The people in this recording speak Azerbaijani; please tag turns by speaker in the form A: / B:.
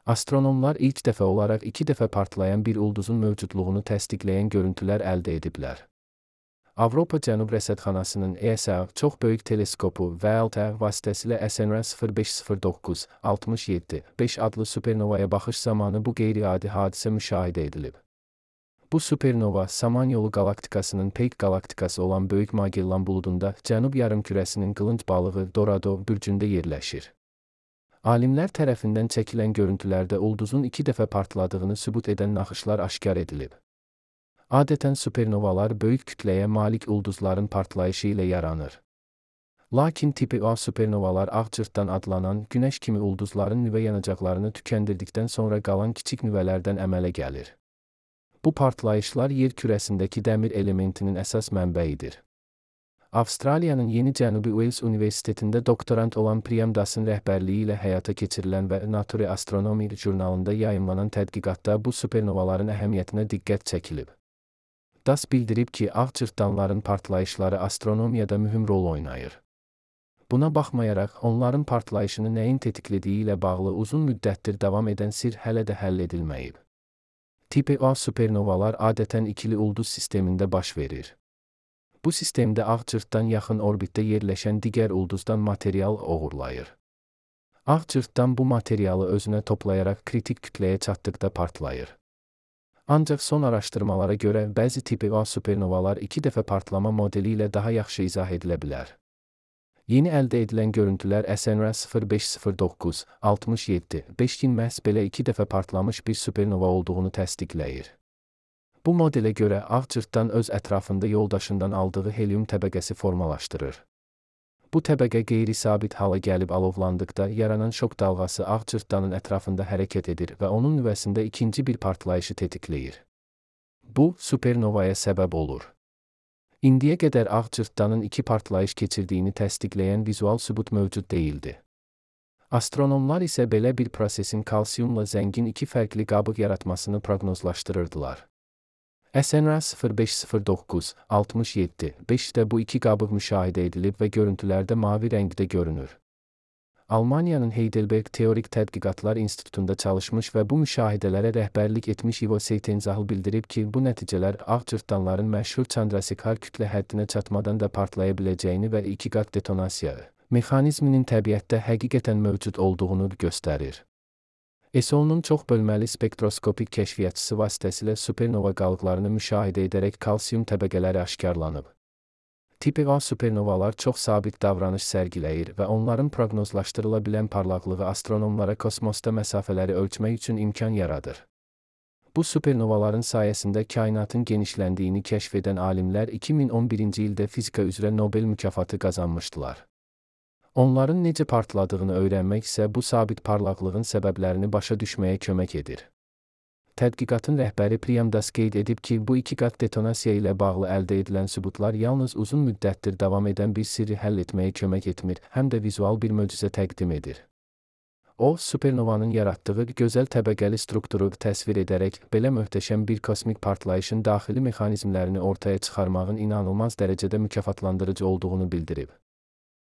A: Astronomlar ilk dəfə olaraq 2 dəfə partlayan bir ulduzun mövcudluğunu təsdiqləyən görüntülər əldə ediblər. Avropa Cənub Rəsədxanasının ESA çox böyük teleskopu və LTE vasitəsilə SNR-0509-67-5 adlı supernovaya baxış zamanı bu qeyri-adi hadisə müşahidə edilib. Bu supernova Samanyolu qalaktikasının Peyk qalaktikası olan Böyük Magellan buludunda Cənub yarımkürəsinin qılınc balığı Dorado bürcündə yerləşir. Alimlər tərəfindən çəkilən görüntülərdə ulduzun 2 dəfə partladığını sübut edən naxışlar aşkar edilib. Adətən supernovalar böyük kütləyə malik ulduzların partlayışı ilə yaranır. Lakin tipi A supernovalar ağcırtdan adlanan günəş kimi ulduzların nüvə yanacaqlarını tükəndirdikdən sonra qalan kiçik nüvələrdən əmələ gəlir. Bu partlayışlar yer kürəsindəki dəmir elementinin əsas mənbəyidir. Avstraliyanın Yeni Cənubi Wales Universitetində doktorant olan Priyam Dasın rəhbərliyi ilə həyata keçirilən və Nature Astronomy jurnalında yayımlanan tədqiqatda bu supernovaların əhəmiyyətinə diqqət çəkilib. Das bildirib ki, ağcırtdanların partlayışları astronomiyada mühüm rol oynayır. Buna baxmayaraq, onların partlayışını nəyin tetiklədiyi ilə bağlı uzun müddətdir davam edən sirr hələ də həll edilməyib. Tipi A supernovalar adətən ikili ulduz sistemində baş verir. Bu sistemdə ağcırtdan yaxın orbitdə yerləşən digər ulduzdan material oğurlayır. Ağcırtdan bu materialı özünə toplayaraq kritik kütləyə çatdıqda partlayır. Ancaq son araşdırmalara görə bəzi tipi A supernovalar 2 dəfə partlama modeli ilə daha yaxşı izah edilə bilər. Yeni əldə edilən görüntülər SNR-0509-67-5-in məhz belə 2 dəfə partlamış bir supernova olduğunu təsdiqləyir. Bu modelə görə ağcırtdan öz ətrafında yoldaşından aldığı helium təbəqəsi formalaşdırır. Bu təbəqə qeyri-sabit hala gəlib alovlandıqda yaranan şok dalğası ağcırtdanın ətrafında hərəkət edir və onun nüvəsində ikinci bir partlayışı tetikləyir. Bu, supernovaya səbəb olur. İndiyə qədər ağcırtdanın 2 partlayış keçirdiyini təsdiqləyən vizual sübut mövcud deyildi. Astronomlar isə belə bir prosesin kalsiyumla zəngin 2 fərqli qabıq yaratmasını proqnozlaşdırırdılar. SNR-0509-67-5-də bu 2 qabıq müşahidə edilib və görüntülərdə mavi rəngdə görünür. Almaniyanın Heidelberg Teorik Tədqiqatlar İnstitutunda çalışmış və bu müşahidələrə rəhbərlik etmiş Ivo Seitenzahл bildirib ki, bu nəticələr ağcırtdanların məşhur Chandrasekhar kütlə həddinə çatmadan da partlaya biləcəyini və 2 qat detonasiya mexanizminin təbiətdə həqiqətən mövcud olduğunu göstərir. ESO'nun çox bölməli spektroskopik kəşfiyyatçısı vasitəsilə supernova qalıqlarını müşahidə edərək kalsiyum təbəqələri aşkarlanıb. Tipi A supernovalar çox sabit davranış sərgiləyir və onların proqnozlaşdırıla bilən parlaqlığı astronomlara kosmosda məsafələri ölçmək üçün imkan yaradır. Bu supernovaların sayəsində kainatın genişləndiyini kəşf edən alimlər 2011-ci ildə fizika üzrə Nobel mükafatı qazanmışdılar. Onların necə partladığını öyrənmək isə bu sabit parlaqlığın səbəblərini başa düşməyə kömək edir. Tədqiqatın rəhbəri Priyam Das qeyd edib ki, bu 2 qat detonasiya ilə bağlı əldə edilən sübutlar yalnız uzun müddətdir davam edən bir sirri həll etməyə kömək etmir, həm də vizual bir möcüzə təqdim edir. O, supernovanın yaratdığı gözəl təbəqəli strukturu təsvir edərək, belə möhtəşəm bir kosmik partlayışın daxili mexanizmlərini ortaya çıxarmağın inanılmaz dərəcədə mükafatlandırıcı olduğunu bildirib.